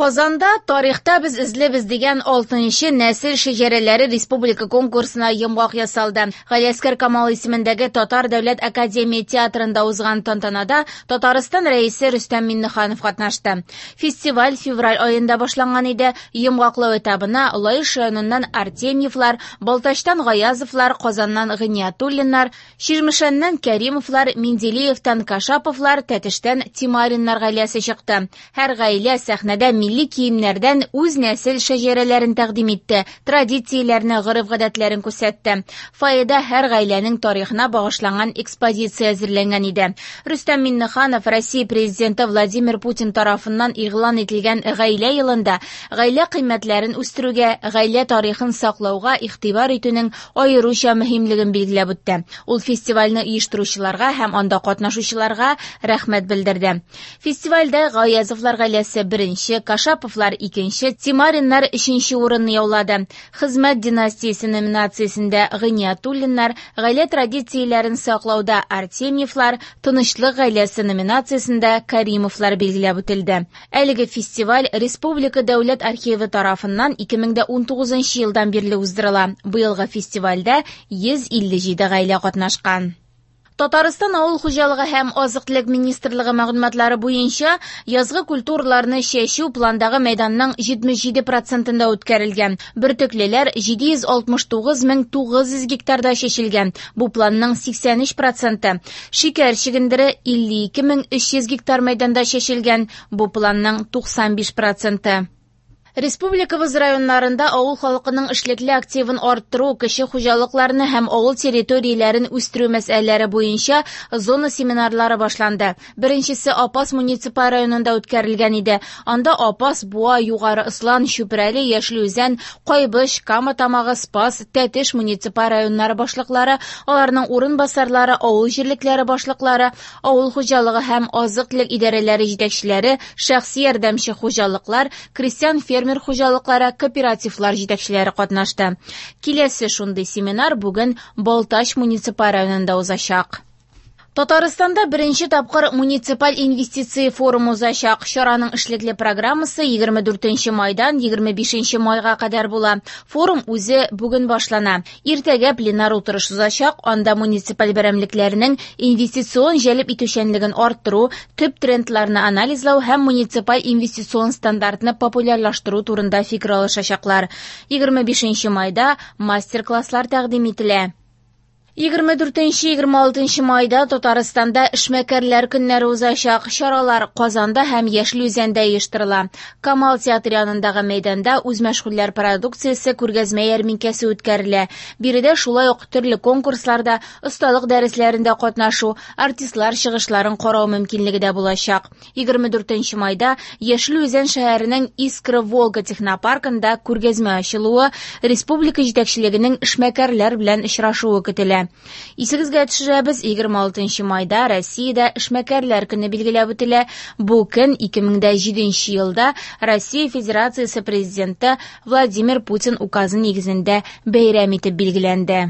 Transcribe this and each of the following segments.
Казанда «Тарихта без эзлебез» дигән 6нчы нәсел шәҗәрәләре республика конкурсына йомгак ясалды. Галиәсгар Камал исемендәге Татар дәүләт академия театрында узган тантанада Татарстан Рәисе Рөстәм Миңнеханов катнашты. Фестиваль февраль аенда башланган иде. Йомгаклау этабына Лаеш районыннан Артемьевлар, Балтачтан Гаязовлар, Казаннан Гыйниятуллиннар, Чирмешәннән Кәримовлар, Менделеевтан Кашаповлар, Тәтештән Тимариннар гаиләсе чыкты. Һәр гаилә сәхнәдә милли киемнәрдән үз нәсел шәҗәрәләрен тәкъдим итте, традицияләрне, гореф-гадәтләрен күрсәтте. Фойеда һәр гаиләнең тарихына багышланган экспозиция әзерләнгән иде. Рөстәм Миңнеханов Россия Президенты Владимир Путин тарафыннан игълан ителгән Гаилә елында гаилә кыйммәтләрен үстерүгә, гаилә тарихын саклауга игътибар итүнең аеруча мөһимлеген билгеләп үтте. Ул фестивальне оештыручыларга һәм анда катнашучыларга рәхмәт белдерде. Фестивальдә Гаязовлар гаиләсе беренче, Кашаповлар икенче, Тимариннар өченче урынны яулады. Хезмәт династиясе номинациясендә Гыйниятуллиннар, гаилә традицияләрен саклауда Артемьевлар, тынычлык гаиләсе номинациясендә Каримовлар билгеләп үтелде. Әлеге фестиваль Республика дәүләт архивы тарафыннан 2019 елдан бирле уздырыла. Быелгы фестивальдә 157 гаилә катнашкан. Татарстан авыл хуҗалыгы һәм азык-төлек министрлыгы мәгълүматлары буенча, язгы культураларны чәчү пландагы мәйданның 77 процентында үткәрелгән. Бөртеклеләр 769 900 гектарда чәчелгән. Бу планның 83 проценты. Шикәр чөгендере 52 300 гектар мәйданда чәчелгән. Бу планның 95 проценты. Республикабыз районнарында авыл халкының эшлекле активын арттыру, кече хуҗалыкларны һәм авыл территорияләрен үстерү мәсьәләләре буенча зона семинарлары башланды. Беренчесе Апас муниципаль районында үткәрелгән иде. Анда Апас, Буа, Югары Ослан, Чүпрәле, Яшел Үзән, Кайбыч, Кама Тамагы, Спас, Тәтеш муниципаль районнары башлыклары, аларның урынбасарлары, авыл җирлекләре башлыклары, авыл хуҗалыгы һәм азык-төлек идарәләре җитәкчеләре, шәхси ярдәмче хуҗалыклар, крестьян фермер хуҗалыклары, кооперативлар җитәкчеләре катнашты. Киләсе шундый семинар бүген Балтач муниципаль районында узачак. Татарстанда беренче тапкыр муниципаль инвестиция форумы узачак. Чараның эшлекле программасы 24 майдан 25 майга кадәр була. Форум үзе бүген башлана. Иртәгә пленар утырыш узачак. Анда муниципаль берәмлекләрнең инвестицион җәлеп итүчәнлеген арттыру, төп трендларны анализлау һәм муниципаль инвестицион стандартны популярлаштыру турында фикер алышачаклар. 25 майда мастер-класслар тәкъдим ителә. 24-26 майда Татарстанда эшмәкәрләр көннәре узачак. Чаралар Казанда һәм Яшел Үзәндә оештырыла. Камал театры янындагы мәйданда үзмәшгульләр продукциясе күргәзмә ярминкәсе үткәрелә. Биредә шулай ук төрле конкурсларда, осталык дәресләрендә катнашу, артистлар чыгышларын карау мөмкинлеге дә булачак. 24 майда Яшел Үзән шәһәренең Искра Волга технопаркында күргәзмә ачылуы, республика җитәкчелегенең эшмәкәрләр белән очрашуы көтелә. Исегезгә төшерәбез, 26 майда Россиядә эшмәкәрләр көне билгеләп үтелә. Бу көн 2007 елда Россия Федерациясе президенты Владимир Путин указы нигезендә бәйрәм итеп билгеләнде.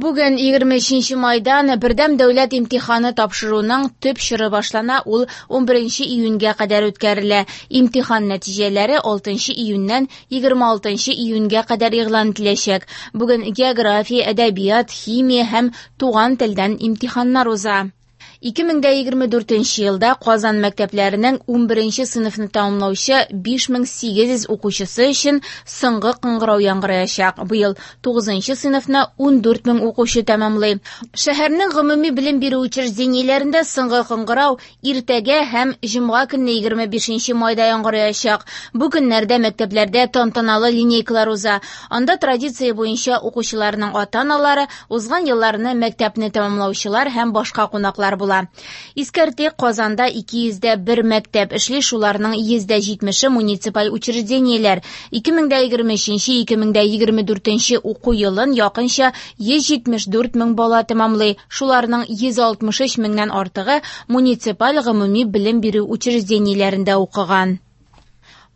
Бүген 23 майдан бердәм дәүләт имтиханы тапшыруның төп чоры башлана, ул 11 июньгә кадәр үткәрелә. Имтихан нәтиҗәләре 6 июньнән 26 июньгә кадәр игълан ителәчәк. Бүген география, әдәбият, химия һәм туган телдән имтиханнар уза. 2024 елда Казан мәктәпләренең 11 сыйныфны тәмамлаучы 5800 укучысы өчен соңгы кыңгырау яңгыраячак. Быел 9 сыйныфны 14000 укучы тәмамлый. Шәһәрнең гомуми белем бирү учреждениеләрендә соңгы кыңгырау иртәгә һәм җомга көнне 25 майда яңгыраячак. Бу көннәрдә мәктәпләрдә тантаналы линейкалар уза. Анда традиция буенча укучыларның ата-аналары, узган елларны мәктәпне тәмамлаучылар һәм башка кунаклар була. Искәртик, Казанда 201 мәктәп эшли, шуларның 170-е муниципаль учреждениеләр. 2023-2024 уку елын якынча 174 мең бала тәмамлый. Шуларның 163 меңнән артыгы муниципаль гомуми белем бирү учреждениеләрендә укыган.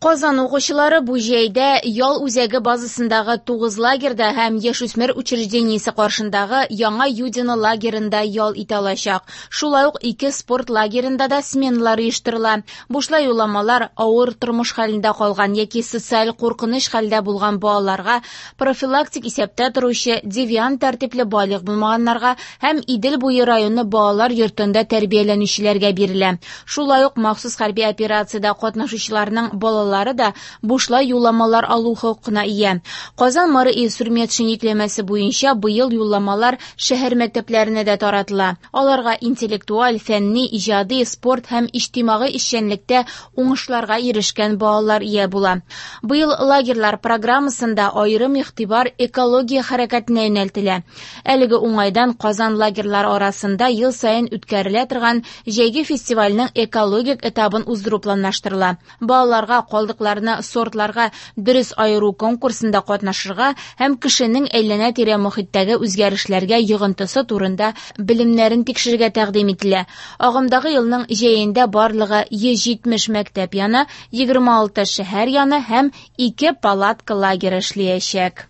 Казан укучылары бу җәйдә ял үзәге базасындагы 9 лагерьда һәм яшүсмер учреждениесе каршындагы Яңа Юдино лагеренда ял итә алачак. Шулай ук ике спорт лагеренда да сменалар оештырыла. Бушлай юлламалар авыр тормыш хәлендә калган яки социаль куркыныч хәлдә булган балаларга, профилактик исәптә торучы девиант тәртипле балигъ булмаганнарга һәм Идел буе районы балалар йортында тәрбияләнүчеләргә бирелә. Шулай ук махсус хәрби операциядә катнашучыларның балалары да бушлай юлламалар алу хокукына ия. Казан мэры Илсур Метшин йөкләмәсе буенча быел юлламалар шәһәр мәктәпләренә дә таратыла. Аларга интеллектуаль, фәнни, иҗади, спорт һәм иҗтимагый эшчәнлектә уңышларга ирешкән балалар ия була. Быел лагерьлар программасында аерым игътибар экология хәрәкәтенә юнәлтелә. Әлеге уңайдан Казан лагерьлары арасында ел саен үткәрелә торган җәйге фестивальнең экологик этабын уздыру планлаштырыла. Балаларга калдыкларны сортларга дөрес аеру конкурсында катнашырга һәм кешенең әйләнә-тирә мохиттәге үзгәрешләргә йогынтысы турында белемнәрен тикшерергә тәкъдим ителә. Агымдагы елның җәендә барлыгы 170 мәктәп яны, 26 шәһәр яны һәм 2 палатка лагеры эшләячәк.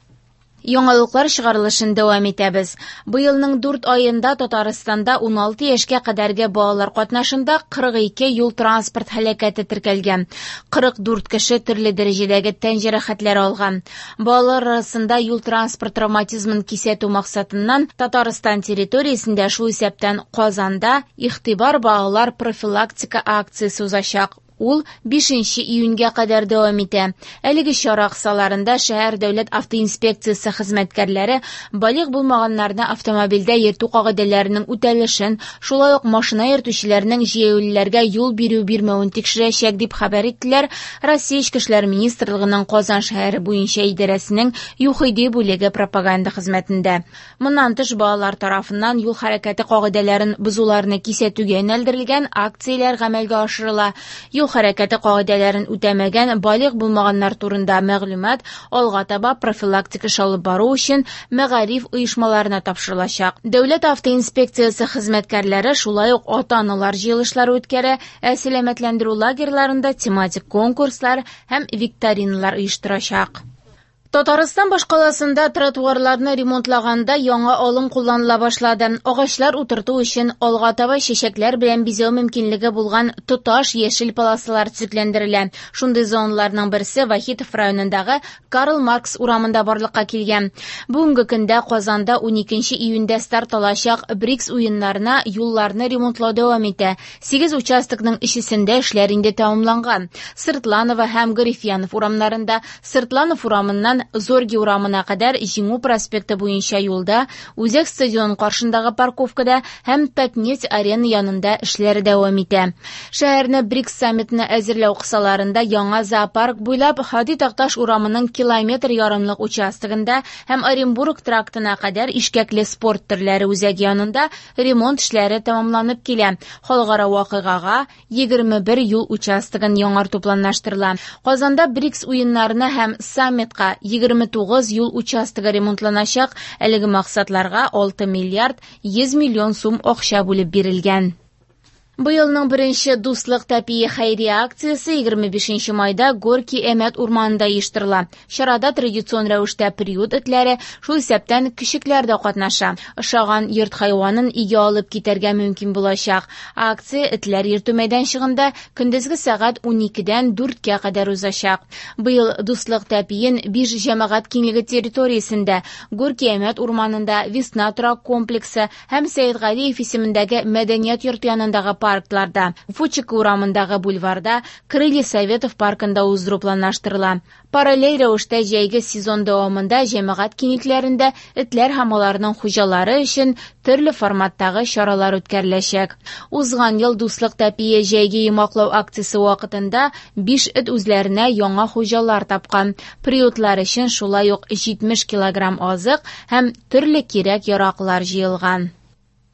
Яңалыклар чыгарылышын дәвам итәбез. Быелның 4 аенда Татарстанда 16 яшькә кадәрге балалар катнашында 42 юл-транспорт һәлакәте теркәлгән. 44 кеше төрле дәрәҗәдәге тән җәрәхәтләре алган. Балалар арасында юл-транспорт травматизмын кисәтү максатыннан Татарстан территориясендә, шул исәптән Казанда, Игътибар балалар профилактика акциясе узачак. Ул 5 июньгә кадәр дәвам итә. Әлеге чара кысаларында шәһәр дәүләт автоинспекциясе хезмәткәрләре балигъ булмаганнарны автомобильдә йөртү кагыйдәләренең үтәлешен, шулай ук машина йөртүчеләрнең җәяүлеләргә юл бирү-бирмәвен тикшерәчәк, дип хәбәр иттеләр Россия Эчке эшләр министрлыгының Казан шәһәре буенча идарәсенең ЮХИДИ бүлеге пропаганда хезмәтендә. Моннан тыш, балалар тарафыннан юл хәрәкәте кагыйдәләрен бозуларны кисәтүгә юнәлдерелгән акцияләр гамәлгә ашырыла. Юл хәрәкәте кагыйдәләрен үтәмәгән балигъ булмаганнар турында мәгълүмат алга таба профилактик эш алып бару өчен мәгариф оешмаларына тапшырылачак. Дәүләт автоинспекциясе хезмәткәрләре шулай ук ата-аналар җыелышлары үткәрә, ә сәламәтләндерү лагерьларында тематик конкурслар һәм викториналар оештырачак. Татарстан башкаласында тротуарларны ремонтлаганда яңа алым кулланыла башлады. Агачлар утырту өчен алга таба чәчәкләр белән бизәү мөмкинлеге булган тоташ яшел полосалар төзекләндерелә. Шундый зоналарның берсе Вахитов районындагы Карл Маркс урамында барлыкка килгән. Бүгенге көндә Казанда 12 июньдә старт алачак БРИКС уеннарына юлларны ремонтлау дәвам итә. 8 участокның өчесендә эшләр инде тәмамланган. Сыртланова һәм Гарифьянов урамнарында, Сыртланов урамыннан Зорги урамына кадәр Җиңү проспекты буенча юлда, Үзәк стадион каршындагы парковкада һәм Татнефть арена янында эшләр дәвам итә. Шәһәрне БРИКС саммитына әзерләү кысаларында яңа зоопарк буйлап Һади Такташ урамының километр ярымлык участогында һәм Оренбург трактына кадәр ишкәкле спорт төрләре үзәге янында ремонт эшләре тәмамланып килә. Халыкара вакыйгага 21 юл участогын яңарту планлаштырыла. Казанда БРИКС уеннарына һәм саммитка 29 юл участогы ремонтланачак. Әлеге максатларга 6 миллиард 100 миллион сум акча бүлеп бирелгән. Быелның беренче Дуслык тәпие хәйрия акциясе 25 майда Горки Әмәт урманында оештырыла. Чарада традицион рәвештә приют этләре, шул исәптән көчекләр дә катнаша. Ошаган йорт хайванын өйгә алып китәргә мөмкин булачак. Акция этләр йөртү мәйданчыгында көндезге сәгать 12-дән 4-кә кадәр узачак. Быел Дуслык тәпиен 5 җәмәгать киңлеге территориясендә, Горки Әмәт урманында, Весна торак комплексы һәм Сәетгалиев исемендәге мәдәният йорты янындагы паркларда, Фучика урамындагы бульварда, Крылья Советов паркында уздыру планлаштырыла. Параллель рәвештә җәйге сезон дәвамында җәмәгать киңлекләрендә этләр һәм аларның хуҗалары өчен төрле форматтагы чаралар үткәреләчәк. Узган ел Дуслык тәпие җәйге йомгаклау акциясе вакытында 5 эт үзләренә яңа хуҗалар тапкан. Приютлар өчен шулай ук 70 килограмм азык һәм төрле кирәк-яраклар җыелган.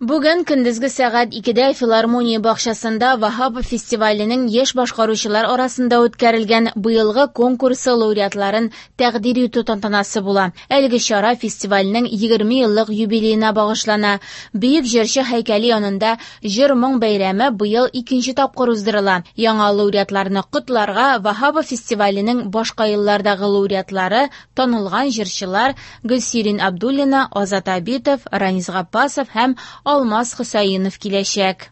Бүген көндезге сәгать 2дә филармония бакчасында Ваһапов фестиваленең яшь башкаручылар арасында үткәрелгән быелгы конкурсы лауреатларын тәкъдир итү тантанасы була. Әлеге чара фестивальнең 20 еллык юбилеена багышлана. Бөек җырчы һәйкәле янында җыр-моң бәйрәме быел икенче тапкыр уздырыла. Яңа лауреатларны котларга Ваһапов фестиваленең башка еллардагы лауреатлары, танылган җырчылар Гөлсирин Абдуллина, Азат Абитов, Ранис Габбасов һәм Алмаз Хөсәенов киләчәк.